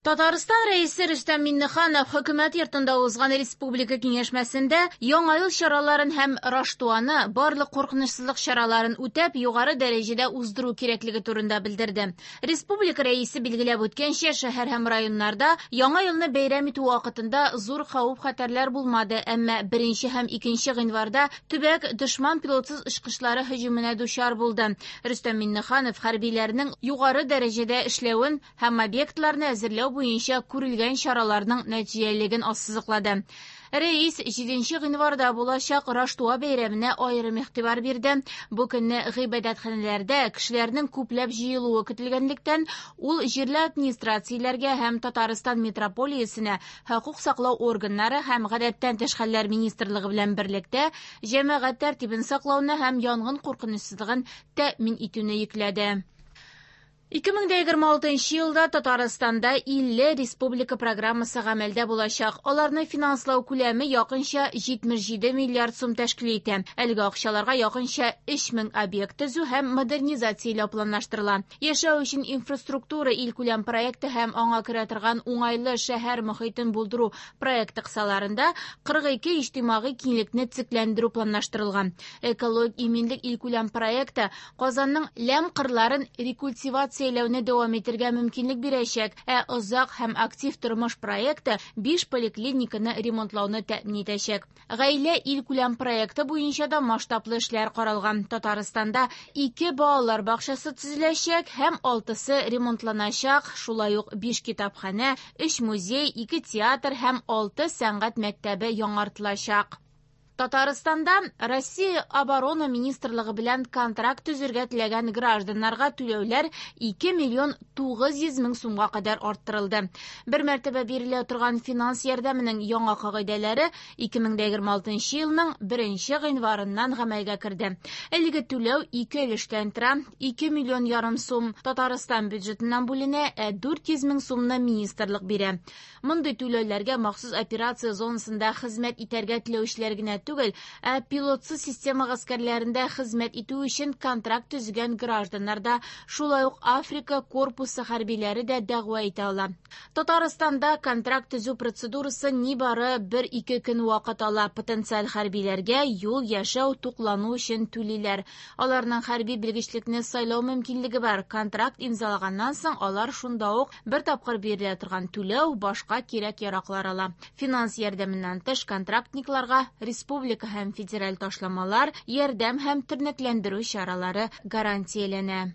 Татарстан Рәисе Рөстәм Миңнеханов Хөкүмәт йортында узган республика киңәшмәсендә Яңа ел чараларын һәм Раштуаны барлык куркынычсызлык чараларын үтәп, югары дәрәҗәдә уздыру кирәклеге турында белдерде. Республика Рәисе билгеләп үткәнчә, шәһәр һәм районнарда Яңа елны бәйрәм итү вакытында зур хәвеф-хәтәрләр булмады, әмма 1 һәм 2 гыйнварда төбәк дошман пилотсыз очкычлары һөҗүменә дучар булды. Рөстәм Миңнеханов хәрбиләрнең югары дәрәҗәдә эшләвен һәм объектларны әзерләү буенча күрелгән чараларның нәтиҗәлелеген ассызыклады. Рәис 7 гыйнварда булачак Раштуа бәйрәменә аерым игътибар бирде. Бу көнне гыйбадәтханәләрдә кешеләрнең күпләп җыелуы көтелгәнлектән, ул җирле администрацияләргә һәм Татарстан митрополиясенә хокук саклау органнары һәм гадәттән тыш хәлләр министрлыгы белән берлектә җәмәгать тәртибен саклауны һәм янгын куркынычсызлыгын тәэмин итүне йөкләде. 2026 елда Татарстанда 50 республика программасы гамәлдә булачак. Аларны финанслау күләме якынча 77 миллиард сум тәшкил итә. Әлеге акчаларга якынча 3000 объект төзү һәм модернизацияләү планлаштырыла. Яшәү өчен инфраструктура илкүләм проекты һәм аңа керә торган уңайлы шәһәр мохитен булдыру проекты кысаларында 42 иҗтимагый киңлекне төзекләндерү планлаштырылган. Экологик иминлек илкүләм проекты Казанның ләм кырларын рекультивацияләүне дәвам итәргә мөмкинлек бирәчәк, ә озак һәм актив тормыш проекты 5 поликлиниканы ремонтлауны тәэмин итәчәк. Гаилә илкүләм проекты буенча да масштаблы эшләр каралган. Татарстанда 2 балалар бакчасы төзеләчәк һәм 6-сы ремонтланачак, шулай ук 5 китапханә, 3 музей, 2 театр һәм 6 сәнгать мәктәбе яңартылачак. Татарстанда Россия Оборона министрлыгы белән контракт төзергә теләгән гражданнарга түләүләр 2 миллион 900 мең сумга кадәр арттырылды. Бер мәртәбә бирелә торган финанс ярдәменең яңа кагыйдәләре 2026 елның 1 гыйнварыннан гамәлгә керде. Әлеге түләү ике өлештән тора. 2 миллион ярым сум Татарстан бюджетыннан бүленә, ә 400 мең сумны министрлык бирә. Мондый түләүләргә махсус операция зонасында хезмәт итәргә теләүчеләр генә түгел, ә пилотсыз система гаскәрләрендә хезмәт итү өчен контракт төзегән гражданнар да, шулай ук Африка корпусы хәрбиләре дә дәгъва итә ала. Татарстанда контракт төзү процедурасы нибары 1-2 көн вакыт ала. Потенциаль хәрбиләргә юл, яшәү, туклану өчен түлиләр. Аларның хәрби белгечлекне сайлау мөмкинлеге бар. Контракт имзалаганнан соң алар шунда ук бер тапкыр бирелә торган түләү, башка кирәк-яраклар ала. Финанс ярдәменнән тыш контрактникларга республика һәм федераль ташламалар, ярдәм һәм тернәкләндерү чаралары гарантияләнә.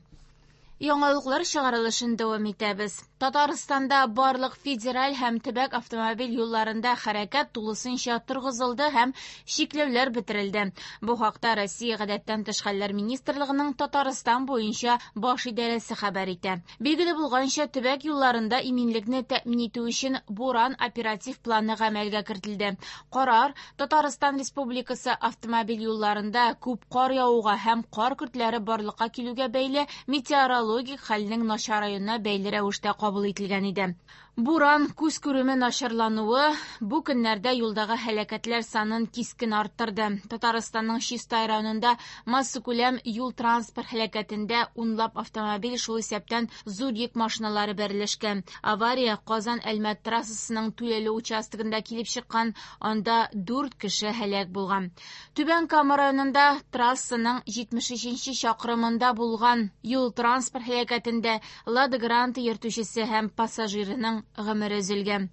Яңалыклар чыгарылышын дәвам итәбез. Татарстанда барлык федераль һәм төбәк автомобиль юлларында хәрәкәт тулысынча торгызылды һәм чикләүләр бетерелде. Бу хакта Россия гадәттән тыш хәлләр министрлыгының Татарстан буенча баш идарәсе хәбәр итә. Билгеле булганча, төбәк юлларында иминлекне тәэмин итү өчен Буран оператив планы гамәлгә кертелде. Карар Татарстан Республикасы автомобиль юлларында күп кар явуга һәм кар көртләре барлыкка килүгә бәйле метеорологик хәлнең начараюына бәйле рәвештә кабул ителгән иде. Буран, күз күреме начарлануы бу көннәрдә юлдагы һәлакәтләр санын кискен арттырды. Татарстанның Чистай районында массакүләм юл-транспорт һәлакәтендә унлап автомобиль, шул исәптән зур йөк машиналары бәрелешкән. Авария Казан-Әлмәт трассасының түләүле участогында килеп чыккан, анда 4 кеше һәлак булган. Түбән Кама районында трассаның 73 чакрымында булган юл-транспорт һәлакәтендә Лада Гранта йөртүчесе һәм пассажирының гомере өзелгән.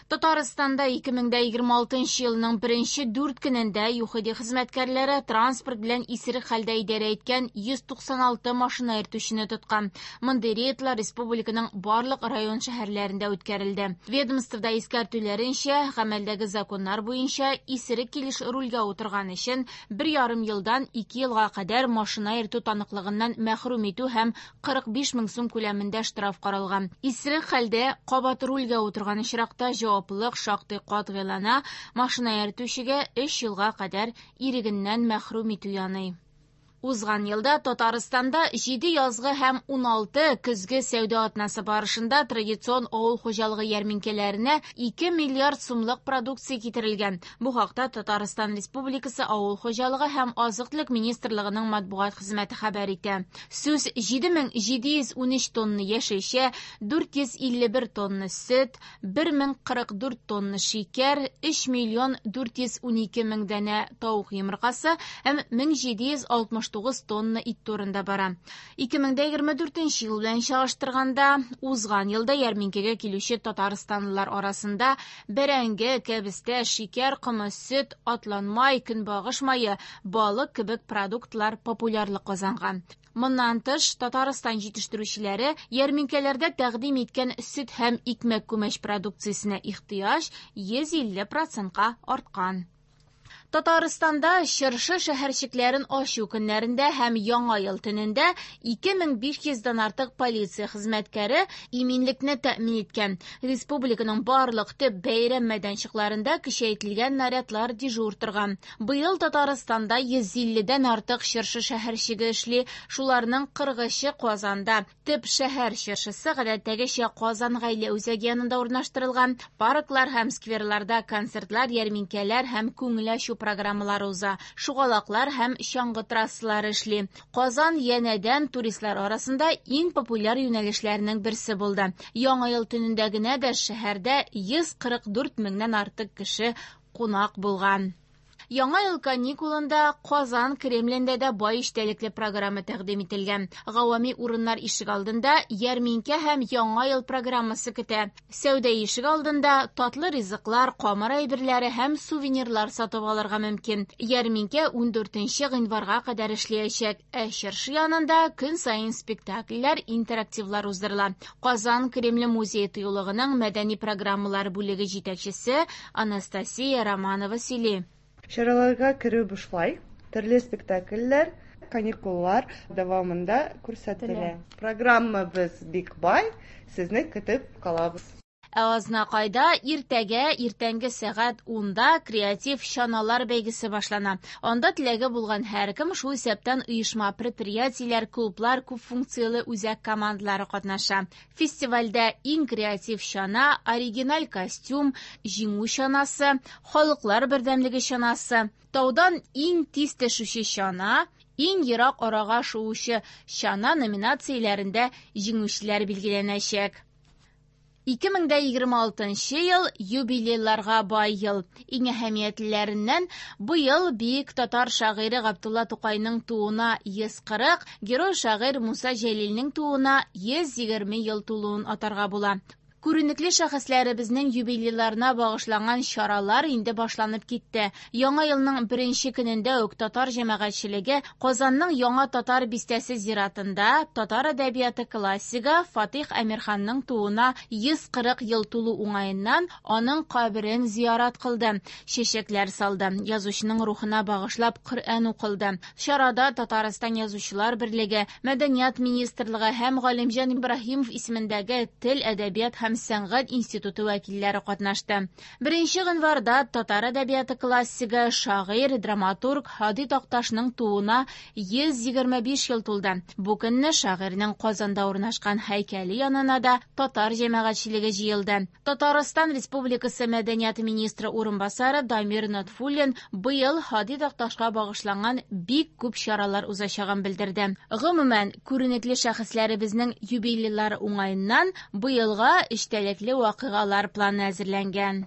Татарстанда 2026 елның беренче 4 көнендә ЮХИДИ хезмәткәрләре транспорт белән исерек хәлдә идарә иткән 196 машина йөртүчене тоткан. Мондый рейдлар республиканың барлык район шәһәрләрендә үткәрелде. Ведомствода искәртүләренчә, гамәлдәге законнар буенча исерек килеш рульгә утырган өчен 1,5 елдан 2 елга кадәр машина йөртү таныклыгыннан мәхрүм итү һәм 45 мең сум күләмендә штраф каралган. Исерек хәлдә кабат рульгә утырган очракта җаваплылык шактый катгыйлана, машина йөртүчегә 3 елга кадәр ирегеннән мәхрүм итү яный. Узган елда Татарстанда 7 язгы һәм 16 көзге сәүдә атнасы барышында традицион авыл хуҗалыгы ярминкәләренә 2 миллиард сумлык продукция китерелгән. Бу хакта Татарстан Республикасы Авыл хуҗалыгы һәм азык-төлек министрлыгының матбугат хезмәте хәбәр итә. Сүз 7713 тонна яшелчә, 451 тонна сөт, 1044 тонна шикәр, 3 миллион 412 мең данә тавык йомыркасы һәм 1769 тонна ит турында бара. 2024 ел белән чагыштырганда, узган елда ярминкәгә килүче татарстанлылар арасында бәрәңге, кәбестә, шикәр комы, сөт, атланмай, көнбагыш мае, балык кебек продуктлар популярлык казанган. Моннан тыш, Татарстан җитештерүчеләре ярминкәләрдә тәкъдим иткән сөт һәм икмәк-күмәч продукциясенә ихтыяҗ 150 процентка арткан. Татарстанда чыршы шәһәрчекләрен ачу көннәрендә һәм Яңа ел төнендә 2500 дән артык полиция хезмәткәре иминлекне тәэмин иткән. Республиканың барлык төп бәйрәм мәйданчыкларында көчәйтелгән нарядлар дежур торган. Быел Татарстанда 150 дән артык чыршы шәһәрчеге эшли, шуларның 40-ы Казанда. Төп шәһәр чыршысы гадәттәгечә Казан гаилә үзәге янында урнаштырылган. Парклар һәм скверларда концертлар, ярминкәләр һәм күңел ачу программалары уза. Шугалаклар һәм чаңгы трассалары эшли. Казан янәдән туристлар арасында иң популяр юнәлешләрнең берсе булды. Яңа ел төнендә генә дә шәһәрдә 144 меңнән артык кеше кунак булган. Яңа ел каникулында Казан Кремлендә дә бай эчтәлекле программа тәкъдим ителгән. Гавами урыннар ишек алдында ярминкә һәм Яңа ел программасы көтә. Сәүдә ишек алдында татлы ризыклар, камыр әйберләре һәм сувенирлар сатып алырга мөмкин. Ярминкә 14 гыйнварга кадәр эшләячәк. Ә чыршы янында көн саен спектакльләр, интерактивлар уздырыла. Казан Кремле музее тыюлыгының мәдәни программалар бүлеге җитәкчесе Анастасия Романова сөйли. Чараларга керү бушлай, төрле спектакльләр каникуллар дәвамында күрсәтелә. Программабыз бик бай, сезне көтеп калабыз. Ә Азнакайда иртәгә иртәнге сәгать 10-да креатив чаналар бәйгесе башлана. Анда теләге булган һәркем, шул исәптән оешма, предприятиеләр, клублар, күп функцияле үзәк командалары катнаша. Фестивальдә иң креатив чана, оригиналь костюм, җиңү чанасы, халыклар бердәмлеге чанасы, таудан иң тиз төшүче чана, иң ерак арага шуучы чана номинацияләрендә җиңүчеләр билгеләнәчәк. 2026 ел юбилейларга бай ел. Иң әһәмиятлеләреннән быел бөек татар шагыйре Габдулла Тукайның тууына 140, герой шагыйрь Муса Җәлилнең тууына 120 ел тулуын атарга була. Күренекле шәхесләребезнең юбилейларына багышланган чаралар инде башланып китте. Яңа елның беренче көнендә үк татар җәмәгатьчелеге Казанның Яңа татар бистәсе зиратында татар әдәбияты классигы Фатих Әмирханның тууына 140 ел тулу уңаеннан аның каберен зиярат кылды, чәчәкләр салды, язучының рухына багышлап Коръән укылды. Чарада Татарстан Язучылар берлеге, Мәдәният министрлыгы һәм Галимҗан Ибраһимов исемендәге Тел, әдәбият һәм сәнгать институты вәкилләре катнашты. 1 гыйнварда татар әдәбияты классигы, шагыйрь, драматург Һади Такташның тууына 125 ел тулды. Бу көнне шагыйрьнең Казанда урнашкан һәйкәле янына да татар җәмәгатьчелеге җыелды. Татарстан Республикасы мәдәният министры урынбасары Дамир Нотфуллин быел Һади Такташка багышланган бик күп чаралар узачагын белдерде. Гомумән, күренекле шәхесләребезнең юбилейлары уңаеннан быелга эчтәлекле вакыйгалар планы әзерләнгән.